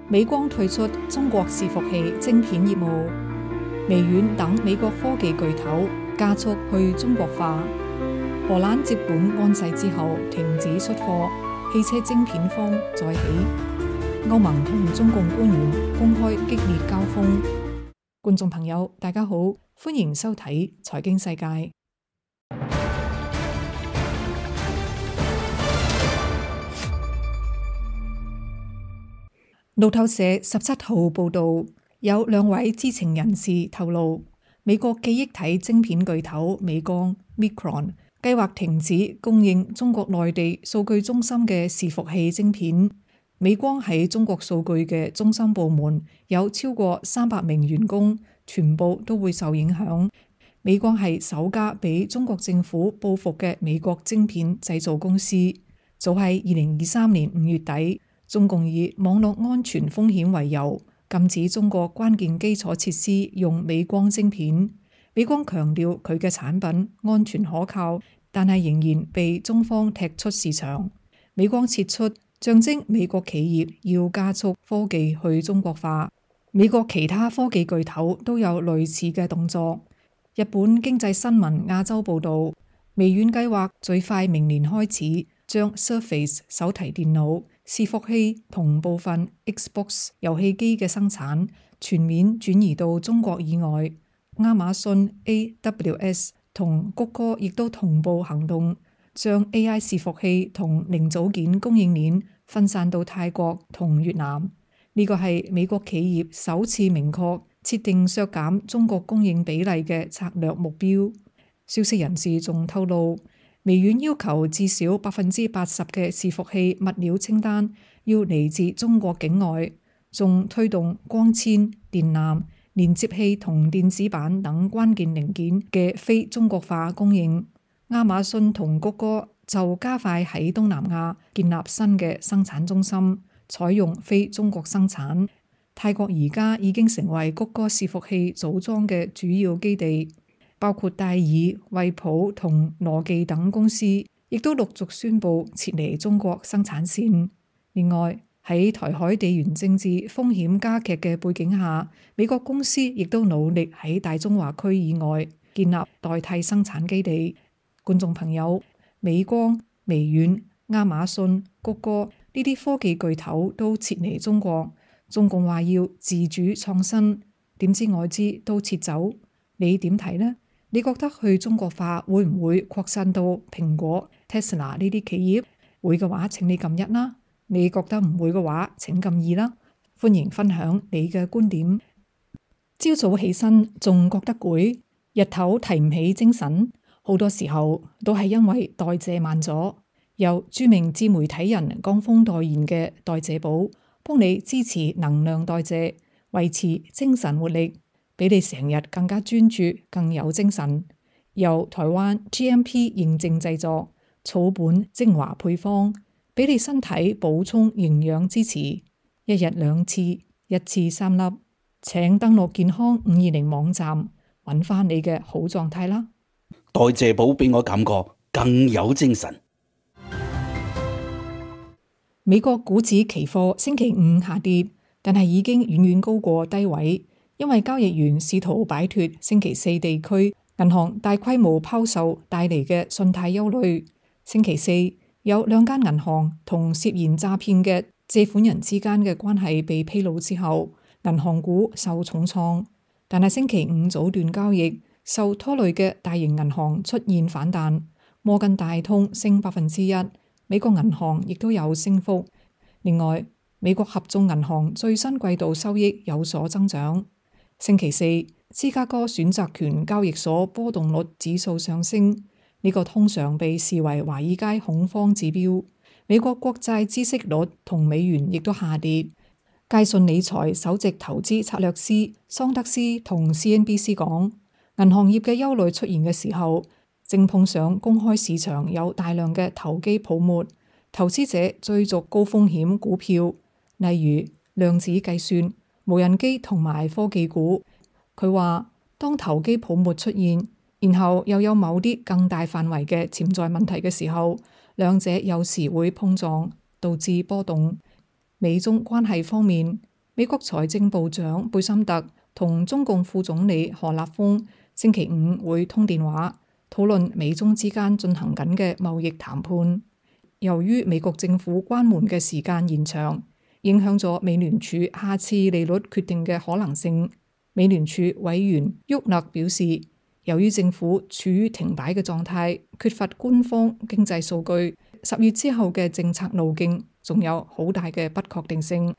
美光退出中國伺服器晶片業務，微軟等美國科技巨頭加速去中國化。荷蘭接管安世之後停止出貨，汽車晶片荒再起。歐盟同中共官員公開激烈交鋒。觀眾朋友，大家好，歡迎收睇財經世界。路透社17號報道，有2位知情人士透露，美國記憶體晶片巨頭美光 Micron 計劃停止供應中國內地數據中心嘅伺服器晶片。美光喺中國數據嘅中心部門有超過300名員工，全部都會受影響。美光係首家俾中國政府報復嘅美國晶片製造公司。早喺2023年5月底，中共以網絡安全風險為由，禁止中國關鍵基礎設施用美光晶片。美光強調佢嘅產品安全可靠，但係仍然被中方踢出市場。美光撤出，象徵美國企業要加速科技去中國化。美國其他科技巨頭都有類似嘅動作。日本經濟新聞亞洲報道，微軟計劃最快明年開始將 Surface 手提電腦、伺服器同部分 Xbox 遊戲機嘅生產全面轉移到中國以外。亞馬遜 AWS 同谷歌亦都同步行動，將 AI 伺服器同零組件供應鏈分散到泰國同越南。呢個係美國企業首次明確設定削減中國供應比例嘅策略目標。消息人士仲透露，微軟要求至少80%嘅伺服器物料清單要嚟自中國境外，仲推動光纖、電纜、連接器同電子板等關鍵零件嘅非中國化供應。亞馬遜同谷歌就加快喺東南亞建立新嘅生產中心，採用非中國生產。泰國而家已經成為谷歌伺服器組裝嘅主要基地。包括戴爾、惠普同羅技等公司，亦都陸續宣布撤離中國生產線。另外，喺台海地緣政治風險加劇嘅背景下，美國公司亦都努力喺大中華區以外建立代替生產基地。觀眾朋友，美光、微軟、亞馬遜、谷歌呢啲科技巨頭都撤離中國，中共話要自主創新，點知外資都撤走，你點睇呢？你覺得去中國化會唔會擴散到蘋果、Tesla 呢啲企業？會嘅話請你撳1啦，你覺得唔會嘅話請撳2啦。歡迎分享你嘅觀點。朝早起身仲覺得攰，日頭提唔起精神，好多時候都係因為代謝慢咗。由著名自媒體人江峰代言嘅代謝寶，幫你支持能量代謝，維持精神活力，俾你成日更加專注，更有精神。由台灣 GMP 認證製作，草本精華配方，俾你身體補充營養支持。1日2次，1次3粒。請登錄健康520網站，揾翻你嘅好狀態啦。代謝寶俾我感覺更有精神。美國股指期貨星期5下跌，但係已經遠遠高過低位。因為交易員試圖擺脫星期4地區銀行大規模拋售帶嚟嘅信貸憂慮。星期4有2間銀行同涉嫌詐騙嘅借款人之間嘅關係被披露之後，銀行股受重創。但係星期5早段交易受拖累嘅大型銀行出現反彈，摩根大通升1%，美國銀行亦都有升幅。另外，美國合眾銀行最新季度收益有所增長。星期4，芝加哥選擇權交易所波動率指數上升，呢個通常被視為華爾街恐慌指標。美國國債孳息率同美元亦都下跌。佳信理財首席投資策略師桑德斯同 CNBC 講，銀行業嘅憂慮出現嘅時候，正碰上公開市場有大量嘅投機泡沫，投資者追逐高風險股票，例如量子計算、無人機同埋科技股。佢話當投機泡沫出現，然後又有某啲更大範圍嘅潛在問題嘅時候，兩者有時會碰撞，導致波動。美中關係方面，美國財政部長貝森特同中共副總理何立峰星期五會通電話，討論美中之間進行緊嘅貿易談判。由於美國政府關門嘅時間延長，影響咗美聯儲下次利率決定嘅可能性。美聯儲委員沃勒表示，由於政府處於停擺嘅狀態，缺乏官方經濟數據，10月之後嘅政策路徑仲有好大嘅不確定性。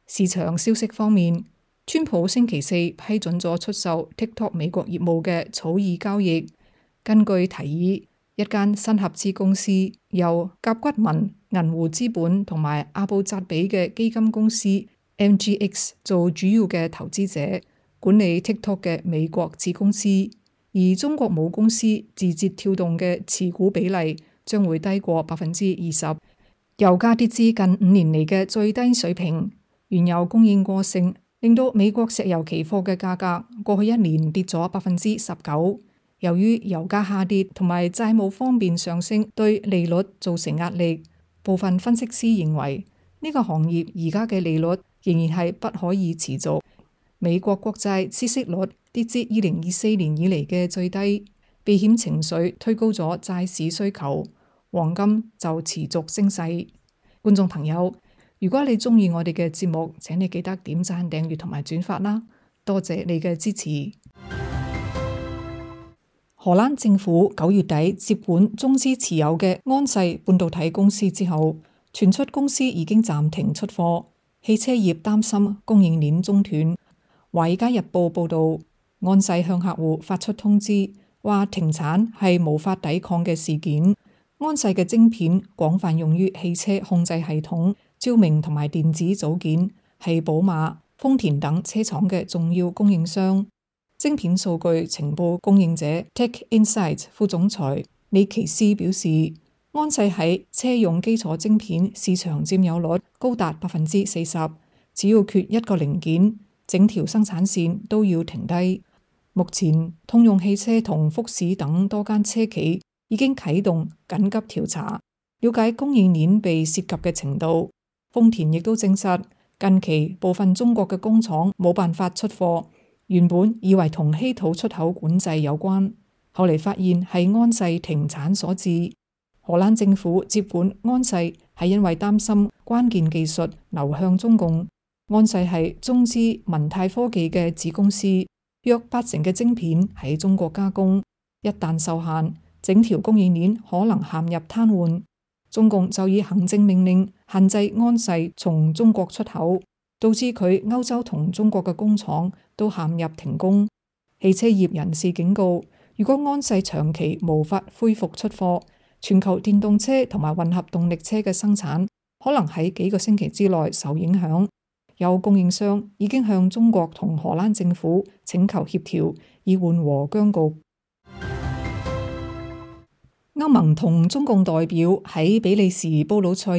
市場消息方面，川普星期四批准咗出售 TikTok 美國業務嘅草擬交易。根據提議，一間新合資公司由甲骨文、銀湖資本同埋阿布扎比嘅基金公司 MGX 做主要嘅投資者，管理 TikTok 嘅美國子公司，而中國母公司字節跳動嘅持股比例將會低過20%。油價跌至近5年嚟嘅最低水平，原油供應過剩，令到美國石油期貨嘅價格過去1年跌咗19%。由於油價下跌同埋債務方面上升，對利率造成壓力。部分分析師認為呢個行業而家嘅利率仍然係不可以持續。美國國債孳息率跌至2024年以嚟嘅最低，避險情緒推高咗債市需求，黃金就持續升勢。觀眾朋友，如果你中意我哋嘅節目，請你記得點讚、訂閱同埋轉發啦，多謝你嘅支持。荷蘭政府9月底接管中資持有嘅安世半導體公司之後，傳出公司已經暫停出貨，汽車業擔心供應鏈中斷。華爾街日報報道，安世向客戶發出通知，話停產係無法抵抗嘅事件。安世嘅晶片廣泛用於汽車控制系統、照明同埋電子組件，係寶馬、豐田等車廠嘅重要供應商。晶片數據情報供應者 Tech Insights 副總裁李奇斯表示，安世喺車用基礎晶片市場佔有率高達40%，只要缺一個零件，整條生產線都要停低。目前，通用汽車同福士等多間車企已經啟動緊急調查，了解供應鏈被涉及嘅程度。豐田亦都證實，近期部分中國嘅工廠冇辦法出貨。原本以為同稀土出口管制有關，後嚟發現係安世停產所致。荷蘭政府接管安世係因為擔心關鍵技術流向中共。安世係中資文泰科技嘅子公司，約80%嘅晶片喺中國加工，一旦受限，整條供應鏈可能陷入癱瘓。中共就以行政命令限制安世從中國出口，導致佢歐洲同中國嘅工廠都陷入停工。汽車業人士警告，如果安世長期無法恢復出貨，全球電動車同埋混合動力車嘅生產可能喺幾個星期之內受影響。有供應商已經向中國同荷蘭政府請求協調，以緩和僵局。歐盟同中共代表喺比利時布魯塞爾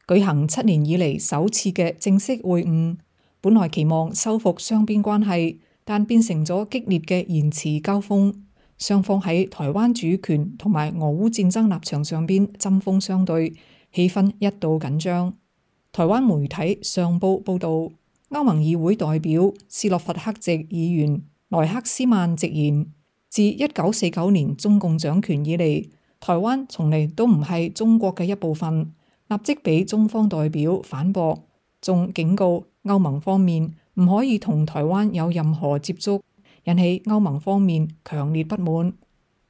舉行7年以嚟首次嘅正式會晤，本來期望修復雙邊關係，但變成咗激烈嘅言辭交鋒。雙方喺台灣主權同埋俄烏戰爭立場上邊針鋒相對，氣氛一度緊張。台灣媒體上報報道，歐盟議會代表斯洛伐克籍議員萊克斯曼直言，自1949年中共掌權以嚟，台灣從嚟都唔係中國嘅一部分。立即俾中方代表反駁，仲警告歐盟方面唔可以同台灣有任何接觸，引起歐盟方面強烈不滿。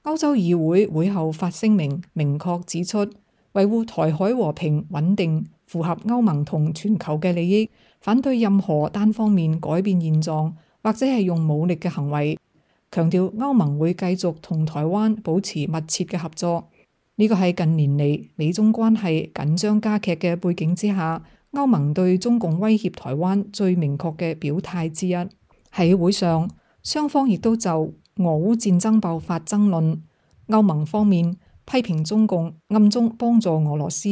歐洲議會會後發聲明，明確指出維護台海和平穩定符合歐盟同全球嘅利益，反對任何單方面改變現狀或者係用武力嘅行為，強調歐盟會繼續同台灣保持密切嘅合作。呢個係近年嚟美中關係緊張加劇嘅背景之下，歐盟對中共威脅台灣最明確嘅表態之一。喺會上，雙方亦都就俄烏戰爭爆發爭論。歐盟方面批評中共暗中幫助俄羅斯，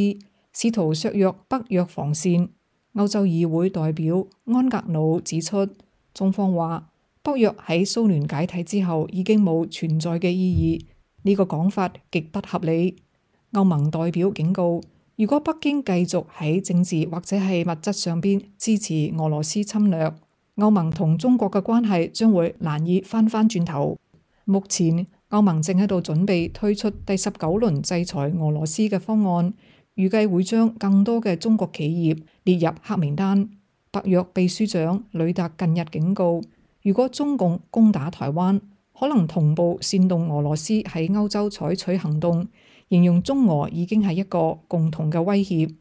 試圖削弱北約防線。歐洲議會代表安格魯指出，中方話北約喺蘇聯解體之後已經冇存在嘅意義。呢個講法極不合理。歐盟代表警告，如果北京繼續喺政治或者係物質上邊支持俄羅斯侵略，歐盟同中國嘅關係將會難以翻轉頭。目前歐盟正喺度準備推出第19輪制裁俄羅斯嘅方案，預計會將更多嘅中國企業列入黑名單。北約秘書長呂特近日警告，如果中共攻打台灣，可能同步煽動俄羅斯喺歐洲採取行動，形容中俄已經係一個共同嘅威脅。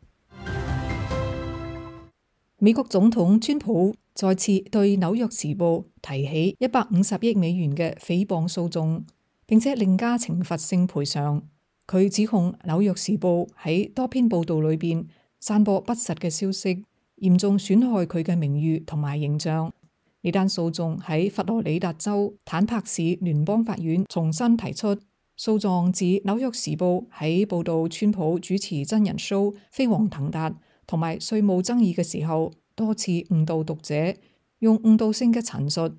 美國總統川普再次對紐約時報提起150億美元嘅誹謗訴訟，並且另加懲罰性賠償。佢指控紐約時報喺多篇報道裏邊散播不實嘅消息，嚴重損害佢嘅名譽同埋形象。呢單訴訟喺佛羅里達州坦帕市聯邦法院重新提出。訴狀指紐約時報喺報道川普主持真人 show《飛黃騰達》同埋稅務爭議嘅時候，多次誤導讀者，用誤導性嘅陳述。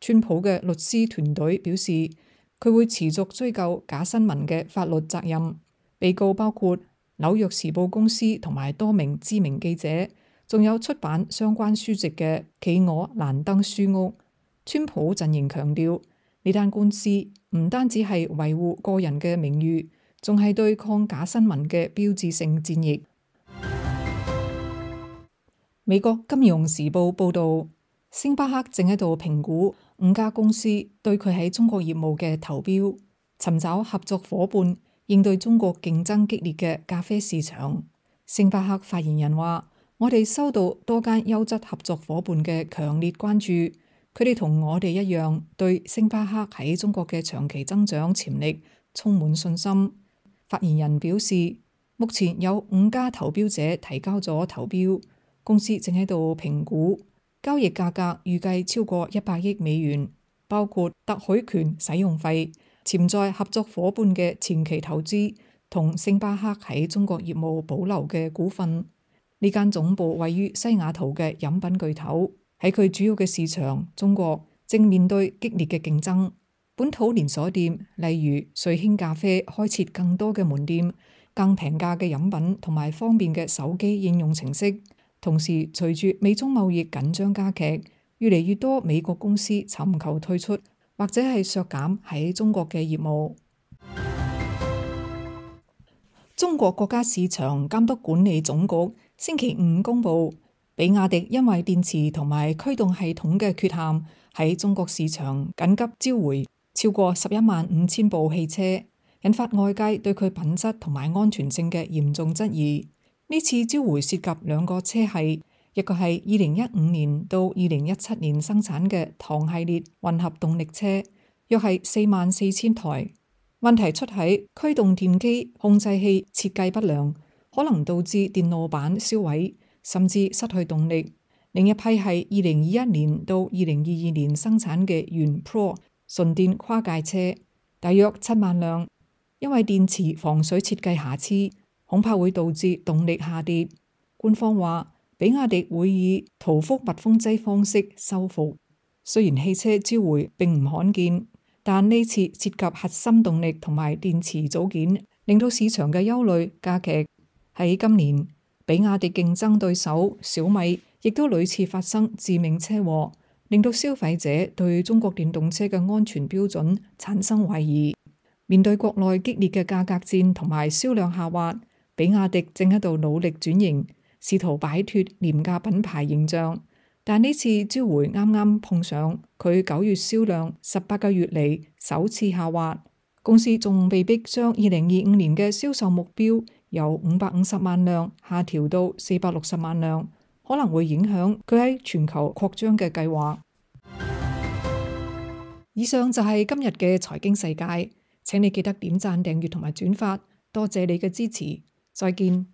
川普嘅律師團隊表示，佢會持續追究假新聞嘅法律責任。被告包括紐約時報公司同埋多名知名記者，仲有出版相關書籍嘅企鵝蘭登書屋。川普陣營強調，呢單官司唔單止係維護個人嘅名譽，仲係對抗假新聞嘅標誌性戰役。美國金融時報報導，星巴克正喺度評估5家公司對佢喺中國業務嘅投標，尋找合作夥伴，應對中國競爭激烈嘅咖啡市場。星巴克發言人話：我哋收到多間優質合作夥伴嘅強烈關注，佢哋同我哋一樣，對星巴克喺中國嘅長期增長潛力充滿信心。發言人表示，目前有5家投標者提交咗投標，公司正喺度評估，交易價格預計超過100億美元，包括特許權使用費、潛在合作夥伴嘅前期投資同星巴克喺中國業務保留嘅股份。呢間總部位於西雅圖嘅飲品巨頭喺佢主要嘅市場中國正面對激烈嘅競爭。本土連鎖店例如瑞興咖啡開設更多嘅門店、更平價嘅飲品同埋方便嘅手機應用程式。同時，隨住美中貿易緊張加劇，越嚟越多美國公司尋求退出或者係削減喺中國嘅業務。中國國家市場監督管理總局星期5公佈，比亞迪因為電池同埋驅動系統嘅缺陷，喺中國市場緊急召回超過115000部汽車，引發外界對佢品質同埋安全性嘅嚴重質疑。呢次召回涉及2個車系，一個係2015年到2017年生產嘅唐系列混合動力車，約係44000台。問題出喺驅動電機控制器設計不良，可能導致電路板燒毀，甚至失去動力。另一批係2021年到2022年生產嘅元 Pro 純電跨界車，大約7萬輛，因為電池防水設計瑕疵，恐怕會導致動力下跌。官方話，比亞迪會以塗覆密封劑方式修復。雖然汽車召回並唔罕見，但呢次涉及核心動力同埋電池組件，令到市場嘅憂慮加劇。喺今年，比亞迪競爭對手小米亦都屢次發生致命車禍，令到消費者對中國電動車嘅安全標準產生懷疑。面對國內激烈嘅價格戰同埋銷量下滑，比亞迪正喺度努力轉型，試圖擺脫廉價品牌形象。但呢次召回啱啱碰上佢9月銷量18個月嚟首次下滑，公司仲被逼將2025年嘅銷售目標由550萬輛下調到460萬輛，可能會影響佢喺全球擴張嘅計劃。以上就係今日嘅財經世界，請你記得點讚、訂閱同埋轉發，多謝你嘅支持，再見。